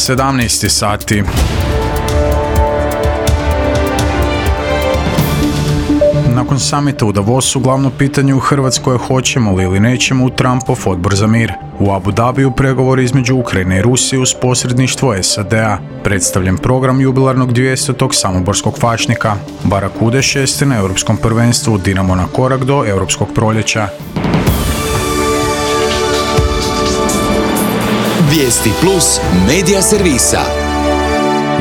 17 sati. Nakon samita u Davosu, glavno pitanje u Hrvatskoj je hoćemo li ili nećemo u Trumpov odbor za mir. U Abu Dhabiju pregovori između Ukrajine i Rusije uz posredništvo SAD-a. Predstavljen program jubilarnog 200. samoborskog fašnika. Barakude 6. na Europskom prvenstvu, Dinamo na korak do Europskog proljeća. Vijesti plus medija servisa.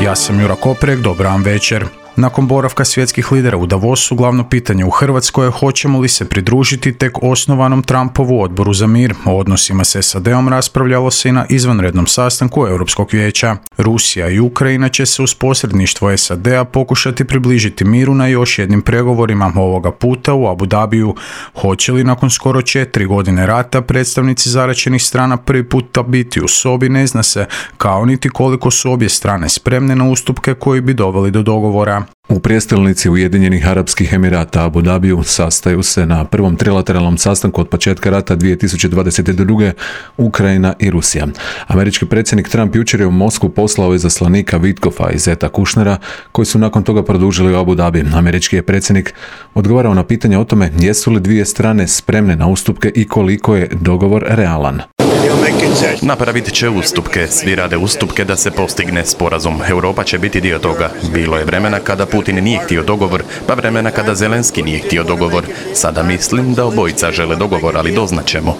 Ja sam Jura Koprek, dobar vam večer. Nakon boravka svjetskih lidera u Davosu, glavno pitanje u Hrvatskoj je hoćemo li se pridružiti tek osnovanom Trumpovu odboru za mir. O odnosima s SAD-om raspravljalo se i na izvanrednom sastanku Europskog vijeća. Rusija i Ukrajina će se uz posredništvo SAD-a pokušati približiti miru na još jednim pregovorima, ovoga puta u Abu Dhabiju. Hoće li nakon skoro 4 godine rata predstavnici zaraćenih strana prvi puta biti u sobi, ne zna se, kao niti koliko su obje strane spremne na ustupke koji bi doveli do dogovora. U prijestolnici Ujedinjenih Arapskih Emirata Abu Dhabiju sastaju se na prvom trilateralnom sastanku od početka rata 2022. Ukrajina i Rusija. Američki predsjednik Trump jučer je u Moskvu poslao izaslanika Witkofa i Zeta Kushnera, koji su nakon toga produžili u Abu Dhabi. Američki je predsjednik odgovarao na pitanje o tome jesu li dvije strane spremne na ustupke i koliko je dogovor realan. Napravit će ustupke, svi rade ustupke da se postigne sporazum. Europa će biti dio toga. Bilo je vremena kada Putin nije htio dogovor, pa vremena kada Zelenski nije htio dogovor. Sada mislim da obojica žele dogovor, ali doznaćemo.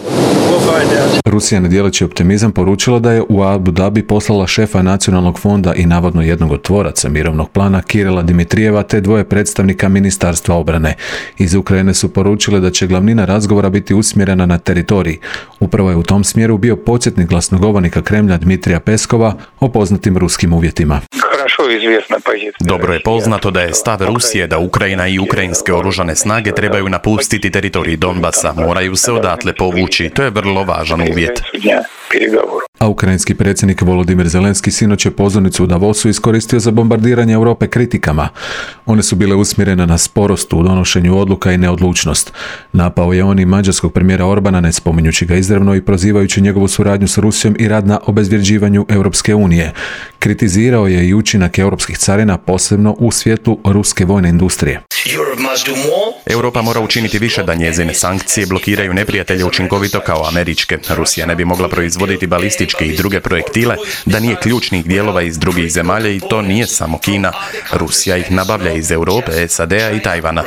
Rusija, ne dijeleći optimizam, poručila da je u Abu Dhabi poslala šefa nacionalnog fonda i navodno jednog od tvoraca mirovnog plana Kirila Dimitrijeva te dvoje predstavnika Ministarstva obrane. Iz Ukrajine su poručile da će glavnina razgovora biti usmjerena na teritorij. Upravo je u tom smjeru bio podsjetnik glasnogovornika Kremlja Dmitrija Peskova o poznatim ruskim uvjetima. Dobro je poznato da je stav Rusije da Ukrajina i ukrajinske oružane snage trebaju napustiti teritorij Donbasa, moraju se odatle povući. To je vrlo važan uvjet. A ukrajinski predsjednik Volodimir Zelenski sinoć je pozornicu u Davosu iskoristio za bombardiranje Europe kritikama. One su bile usmjerene na sporost u donošenju odluka i neodlučnost. Napao je on i mađarskog premijera Orbana, ne spominjući ga izravno i prozivajući njegovu suradnju s Rusijom i rad na obezvređivanju Europske unije. Kritizirao je i učinak europskih carina, posebno u svjetlu ruske vojne industrije. Europa mora učiniti više da njezine sankcije blokiraju neprijatelje učinkovito kao američke. Rusija ne bi mogla proizvoditi balističke i druge projektile da nije ključnih dijelova iz drugih zemalja i to nije samo Kina. Rusija ih nabavlja iz Europe, SAD-a i Tajvana.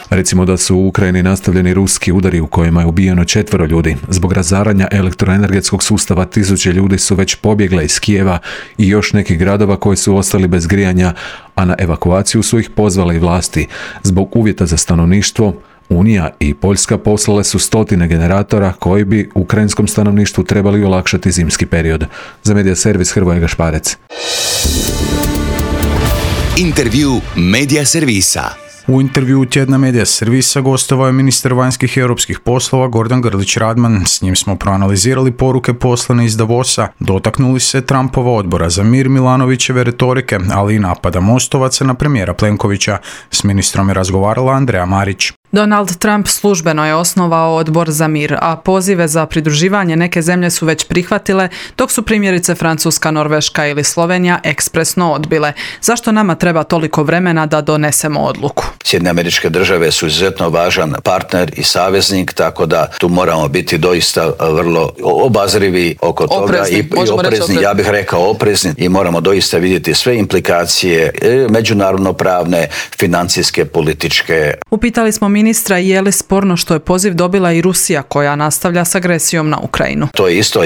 Recimo da su u Ukrajini nastavljeni ruski udari u kojima je ubijeno 4 ljudi. Zbog razaranja elektroenergetskog sustava 1000 ljudi su već pobjegle iz Kijeva i još nekih gradova koji su ostali bez grijanja, a na evakuaciju su ih pozvale i vlasti. Zbog uvjeta za stanovništvo, Unija i Poljska poslale su 100 generatora koji bi ukrajinskom stanovništvu trebali olakšati zimski period. Za medija servis Hrvoje Gašparec. Intervju medija servisa. U intervjuu tjedna medija servisa gostovao je ministar vanjskih i europskih poslova Gordan Grlić Radman. S njim smo proanalizirali poruke poslane iz Davosa, dotaknuli se Trumpova odbora za mir, Milanovićeve retorike, ali i napada Mostovaca na premijera Plenkovića. S ministrom je razgovarala Andreja Marić. Donald Trump službeno je osnovao odbor za mir, a pozive za pridruživanje neke zemlje su već prihvatile, dok su primjerice Francuska, Norveška ili Slovenija ekspresno odbile. Zašto nama treba toliko vremena da donesemo odluku? Sjedinjene Američke Države su izuzetno važan partner i saveznik, tako da tu moramo biti doista vrlo obazrivi oko toga i oprezni, ja bih rekao oprezni, i moramo doista vidjeti sve implikacije međunarodno pravne, financijske, političke. Upitali smo ministra je li sporno što je poziv dobila i Rusija koja nastavlja s agresijom na Ukrajinu. To je isto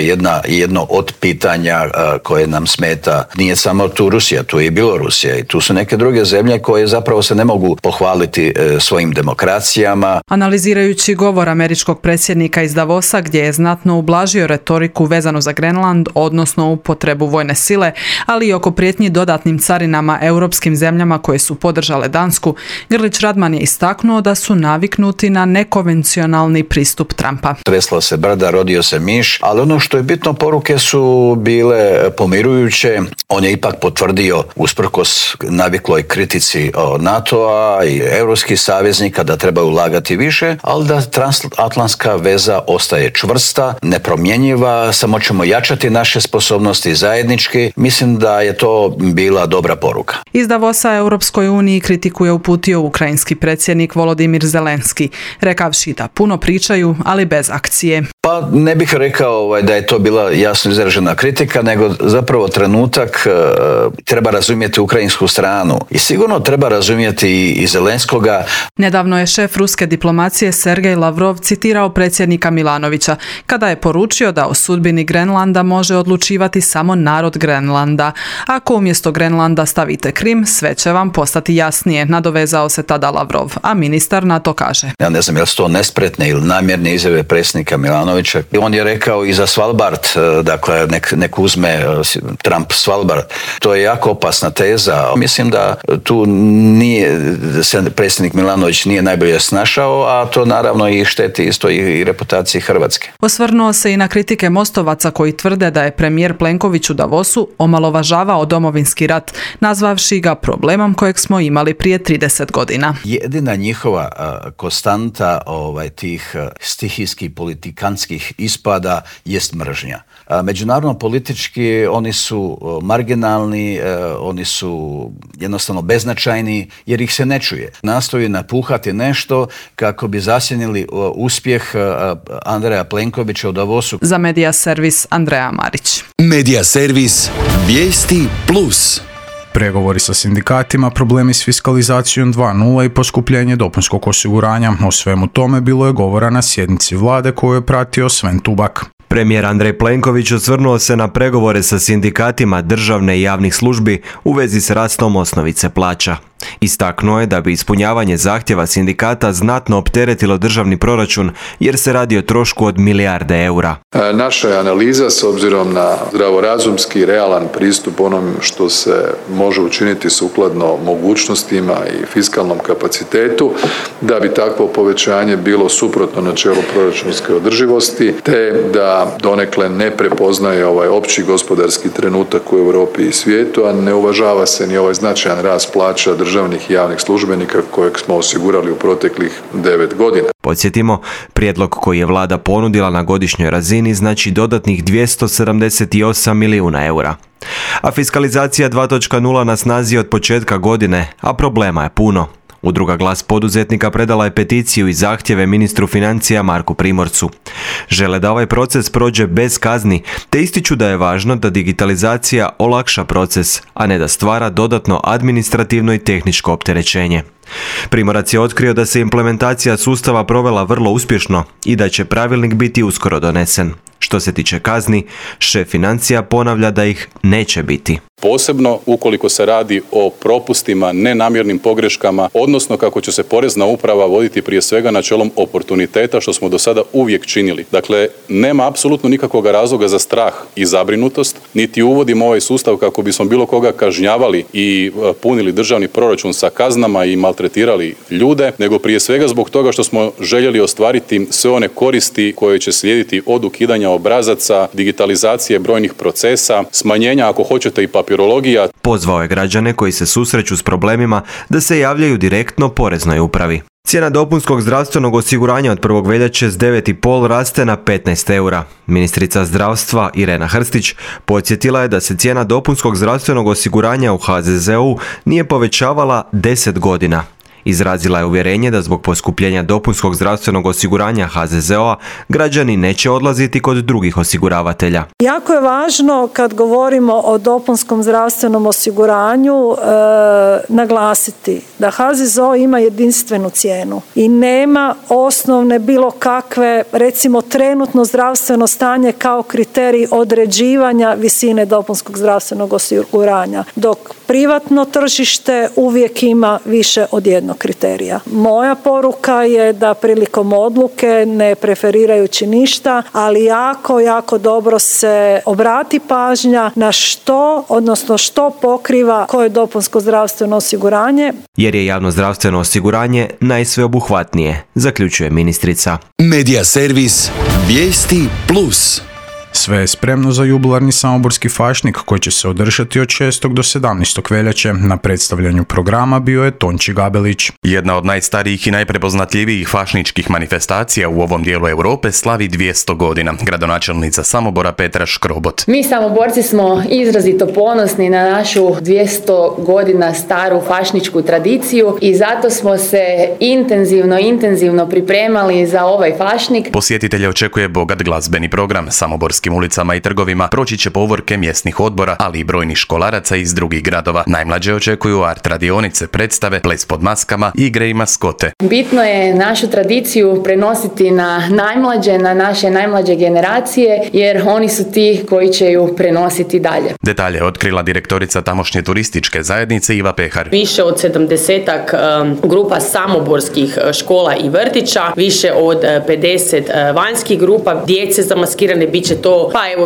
jedno od pitanja koje nam smeta. Nije samo tu Rusija, tu je i Bjelorusija i tu su neke druge zemlje koje zapravo se ne mogu pohvaliti svojim demokracijama. Analizirajući govor američkog predsjednika iz Davosa gdje je znatno ublažio retoriku vezanu za Grenland, odnosno upotrebu vojne sile, ali i oko prijetnji dodatnim carinama europskim zemljama koje su podržale Dansku, Grlić Radman je istaknuo da su naviknuti na nekonvencionalni pristup Trumpa. Tresla se brda, rodio se miš, ali ono što je bitno, poruke su bile pomirujuće. On je ipak potvrdio, usprkos navikloj kritici NATO-a i europskih saveznika, da trebaju ulagati više, ali da transatlantska veza ostaje čvrsta, nepromjenjiva, samo ćemo jačati naše sposobnosti zajednički. Mislim da je to bila dobra poruka. Iz Davosa Europskoj uniji kritiku je uputio ukrajinski predsjednik Volodimir Zelenski, rekavši da puno pričaju, ali bez akcije. Pa ne bih rekao da je to bila jasno izražena kritika, nego zapravo trenutak treba razumjeti ukrajinsku stranu i sigurno treba razumjeti i Zelenskoga. Nedavno je šef ruske diplomacije Sergej Lavrov citirao predsjednika Milanovića kada je poručio da o sudbini Grenlanda može odlučivati samo narod Grenlanda. Ako umjesto Grenlanda stavite Krim, sve će vam postati jasnije, nadovezao se tada Lavrov, a ministar na to kaže. Ja ne znam je li to nespretne ili namjerne izjave predsjednika Milanovića. On je rekao i za Svalbard, dakle nek uzme Trump Svalbard. To je jako opasna teza. Mislim da tu se predsjednik Milanović nije najbolje snašao, a to naravno i šteti isto i reputaciji Hrvatske. Osvrnuo se i na kritike mostovaca koji tvrde da je premijer Plenković u Davosu omalovažavao Domovinski rat, nazvavši ga problemom kojeg smo imali prije 30 godina. Jedina njihova konstanta tih stihijskih politikantskih ispada jest mržnja. Međunarodno politički oni su marginalni, oni su jednostavno beznačajni jer ih se ne čuje. Nastoji napuhati nešto kako bi zasjenili uspjeh Andreja Plenkovića u Davosu. Za Medija servis Andreja Marić. Medija servis Vijesti Plus. Pregovori sa sindikatima, problemi s fiskalizacijom 2.0 i poskupljenje dopunskog osiguranja. O svemu tome bilo je govora na sjednici vlade koju je pratio Sven Tubak. Premijer Andrej Plenković osvrnuo se na pregovore sa sindikatima državne i javnih službi u vezi s rastom osnovice plaća. Istaknuo je da bi ispunjavanje zahtjeva sindikata znatno opteretilo državni proračun jer se radi o trošku od milijarde eura. Naša je analiza s obzirom na zdravorazumski, realan pristup onom što se može učiniti sukladno mogućnostima i fiskalnom kapacitetu, da bi takvo povećanje bilo suprotno načelu proračunske održivosti, te da donekle ne prepoznaje ovaj opći gospodarski trenutak u Europi i svijetu, a ne uvažava se ni ovaj značajan rast plaća državnih i javnih službenika kojeg smo osigurali u proteklih 9 godina. Podsjetimo, prijedlog koji je vlada ponudila na godišnjoj razini znači dodatnih 278 milijuna eura. A fiskalizacija 2.0 na snazi od početka godine, a problema je puno. Udruga Glas poduzetnika predala je peticiju i zahtjeve ministru financija Marku Primorcu. Žele da ovaj proces prođe bez kazni, te ističu da je važno da digitalizacija olakša proces, a ne da stvara dodatno administrativno i tehničko opterećenje. Primorac je otkrio da se implementacija sustava provela vrlo uspješno i da će pravilnik biti uskoro donesen. Što se tiče kazni, šef financija ponavlja da ih neće biti. Posebno ukoliko se radi o propustima, nenamjernim pogreškama, odnosno kako će se porezna uprava voditi prije svega načelom oportuniteta, što smo do sada uvijek činili. Dakle, nema apsolutno nikakvog razloga za strah i zabrinutost, niti uvodimo ovaj sustav kako bismo bilo koga kažnjavali i punili državni proračun sa kaznama i maltretirali ljude, nego prije svega zbog toga što smo željeli ostvariti sve one koristi koje će slijediti od ukidanja obrazaca, digitalizacije brojnih procesa, smanjenja, ako hoćete, i papirologija. Pozvao je građane koji se susreću s problemima da se javljaju direktno poreznoj upravi. Cijena dopunskog zdravstvenog osiguranja od 1. veljače s 9,5 raste na 15 eura. Ministrica zdravstva Irena Hrstić podsjetila je da se cijena dopunskog zdravstvenog osiguranja u HZZO-u nije povećavala 10 godina. Izrazila je uvjerenje da zbog poskupljenja dopunskog zdravstvenog osiguranja HZZO-a građani neće odlaziti kod drugih osiguravatelja. Jako je važno kad govorimo o dopunskom zdravstvenom osiguranju naglasiti da HZZO ima jedinstvenu cijenu i nema osnovne bilo kakve, recimo trenutno zdravstveno stanje kao kriterij određivanja visine dopunskog zdravstvenog osiguranja, dok privatno tržište uvijek ima više od jednog objektivnog kriterija. Moja poruka je da prilikom odluke, ne preferirajući ništa, ali jako dobro se obrati pažnja na što pokriva koje dopunsko zdravstveno osiguranje. Jer je javno zdravstveno osiguranje najsveobuhvatnije, zaključuje ministrica. Medija servis Vijesti Plus. Sve je spremno za jubilarni samoborski fašnik koji će se održati od 6. do 17. veljače. Na predstavljanju programa bio je Tonči Gabelić. Jedna od najstarijih i najprepoznatljivijih fašničkih manifestacija u ovom dijelu Europe slavi 200 godina. Gradonačelnica Samobora Petra Škrobot. Mi Samoborci smo izrazito ponosni na našu 200 godina staru fašničku tradiciju i zato smo se intenzivno pripremali za ovaj fašnik. Posjetitelje očekuje bogat glazbeni program. Samoborskim ulicama i trgovima proći će povorke mjesnih odbora, ali i brojnih školaraca iz drugih gradova. Najmlađe očekuju art radionice, predstave, ples pod maskama, igre i maskote. Bitno je našu tradiciju prenositi na najmlađe, na naše najmlađe generacije, jer oni su ti koji će ju prenositi dalje. Detalje otkrila direktorica tamošnje turističke zajednice Iva Pehar. Više od 70-ak grupa samoborskih škola i vrtića, više od 50 vanjskih grupa, djece zamaskirane, bit će to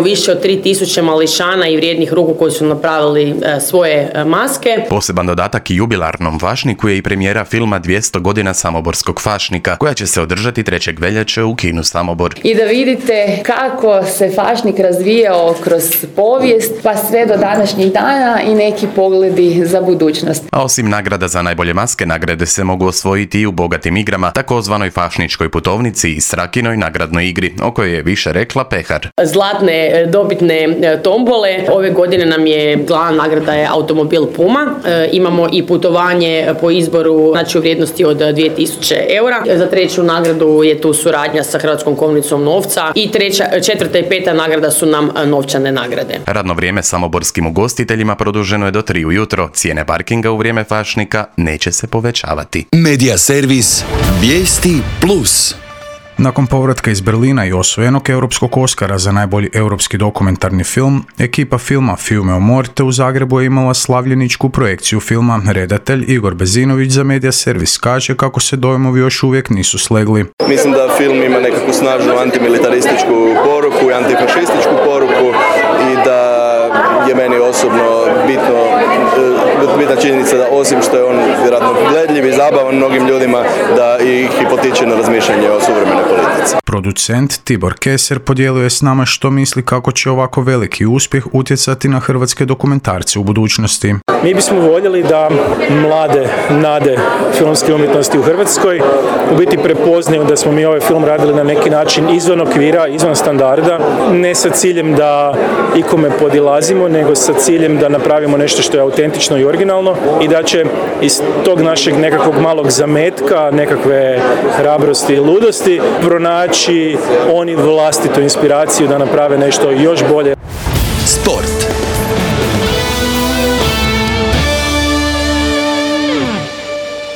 više od 3000 mališana i vrijednih ruku koji su napravili svoje maske. Poseban dodatak i jubilarnom fašniku je i premijera filma 200 godina samoborskog fašnika, koja će se održati 3. veljače u kinu Samobor. I da vidite kako se fašnik razvijao kroz povijest, pa sve do današnjih dana i neki pogledi za budućnost. A osim nagrada za najbolje maske, nagrade se mogu osvojiti i u bogatim igrama, takozvanoj fašničkoj putovnici i Srakinoj nagradnoj igri, o kojoj je više rekla Pehar. Zlatne dobitne tombole. Ove godine nam je glavna nagrada je automobil Puma. Imamo i putovanje po izboru, znači u vrijednosti od 2000 eura. Za 3. nagradu je tu suradnja sa Hrvatskom kovnicom novca i 3., 4. i 5. nagrada su nam novčane nagrade. Radno vrijeme samoborskim ugostiteljima produženo je do 3 ujutro. Cijene parkinga u vrijeme fašnika neće se povećavati. Medija servis Vijesti Plus. Nakon povratka iz Berlina i osvojenog europskog Oskara za najbolji europski dokumentarni film, ekipa filma Fiume o Morte u Zagrebu je imala slavljeničku projekciju filma. Redatelj Igor Bezinović za Medija servis kaže kako se dojmovi još uvijek nisu slegli. Mislim da film ima nekakvu snažnu antimilitarističku poruku i antifašističku poruku i da je meni osobno bitna činjenica da osim što je on vjerojatno gledljiv i zabavan mnogim ljudima, da ih i potiče na razmišljanje o suvremenoj politici. Producent Tibor Keser podijelio je s nama što misli kako će ovako veliki uspjeh utjecati na hrvatske dokumentarce u budućnosti. Mi bismo voljeli da mlade nade filmske umjetnosti u Hrvatskoj u biti prepoznaju da smo mi ovaj film radili na neki način izvan okvira, izvan standarda, ne sa ciljem da ikome podilazimo, nego sa ciljem da napravimo nešto što je autentično i originalno i da će iz tog našeg nekakvog malog zametka, nekakve hrabrosti i ludosti pronaći oni vlastitu inspiraciju da naprave nešto još bolje. Sport.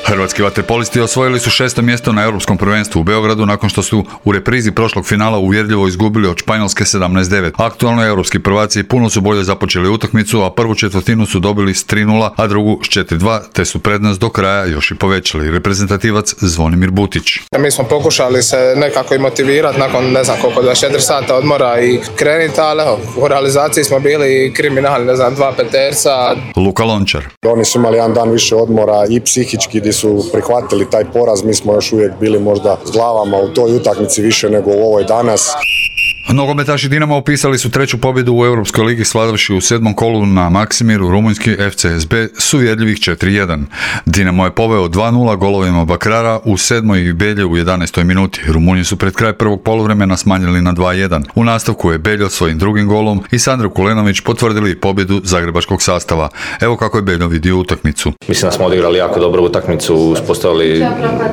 Hrvatski vaterpolisti osvojili su 6. mjesto na Europskom prvenstvu u Beogradu nakon što su u reprizi prošlog finala uvjerljivo izgubili od Španjolske 17-9. Aktualno europski prvaci puno su bolje započeli utakmicu, a prvu četvrtinu su dobili s 3-0, a drugu s 4-2, te su prednost do kraja još i povećali. Reprezentativac Zvonimir Butić. Mi smo pokušali se nekako i motivirati nakon 24 sata odmora i krenuti, ali u realizaciji smo bili kriminalni, 2 peterca. Luka Lončar. Oni su imali jedan dan više odmora i psihički gdje su prihvatili taj poraz, mi smo još uvijek bili možda s glavama u toj utakmici više nego u ovoj danas. Nogometaši Dinama upisali su 3. pobjedu u Europskoj ligi slavivši u 7. kolu na Maksimiru rumunjski FCSB s uvjerljivih 4-1. Dinamo je poveo 2-0 golovima Bakrara u 7. i Belje u 11. minuti. Rumunji su pred kraj prvog poluvremena smanjili na 2-1. U nastavku je Beljo svojim drugim golom i Sandro Kulenović potvrdili pobjedu zagrebačkog sastava. Evo kako je Beljo vidio utakmicu. Mislim da smo odigrali jako dobru utakmicu, uspostavili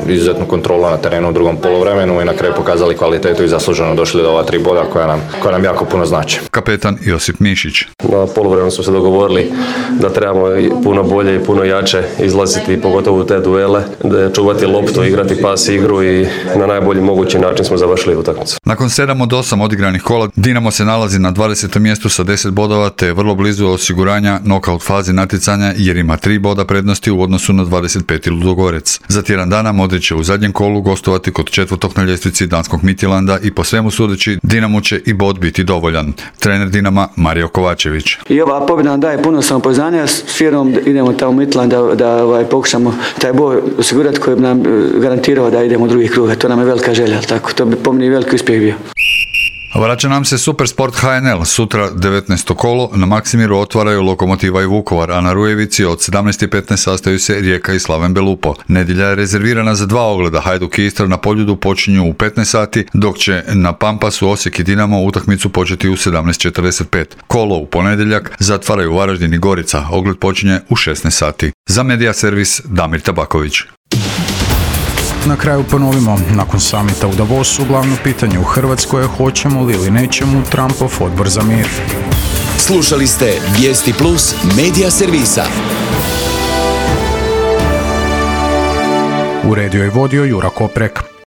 izuzetnu kontrolu na terenu u drugom poluvremenu i na kraju pokazali kvalitetu i zasluženo došli do ova 3 boda boda koja nam jako puno znači. Kapetan Josip Mišić. Na poluvremenu smo se dogovorili da trebamo puno bolje i puno jače izlaziti, pogotovo u te duele, da čuvati loptu, igrati pas igru i na najbolji mogući način smo završili utakmicu. Nakon 7 od 8 odigranih kola, Dinamo se nalazi na 20. mjestu sa 10 bodova te je vrlo blizu osiguranja nokaut fazi natjecanja jer ima 3 boda prednosti u odnosu na 25. Ludogorec. Za tjedan dana Modrić će u zadnjem kolu gostovati kod 4. na ljestvici danskog Midtjylanda i po svemu sudeći Dinamo će i bod biti dovoljan. Trener Dinama Mario Kovačević. I ova pobjeda nam daje puno samopouzdanja, s vjerom idemo tamo u Midtjylland da pokušamo taj bod osigurati koji bi nam garantirao da idemo u drugi krug. To nam je velika želja, tako to bi po meni veliki uspjeh bio. Vraća nam se Supersport HNL. Sutra 19. kolo na Maksimiru otvaraju Lokomotiva i Vukovar, a na Rujevici od 17:15 sastaju se Rijeka i Slaven Belupo. Nedjelja je rezervirana za 2 ogleda. Hajduk i Istra na Poljudu počinju u 15 sati, dok će na Pampasu Osijek i Dinamo utakmicu početi u 17:45. Kolo u ponedjeljak zatvaraju Varaždin i Gorica. Ogled počinje u 16 sati. Za Media Servis Damir Tabaković. Na kraju ponovimo, nakon samita u Davosu, glavno pitanje u Hrvatskoj je hoćemo li ili nećemo Trumpov odbor za mir. Slušali ste Vijesti Plus Media Servisa. Uredio i vodio Jura Koprek.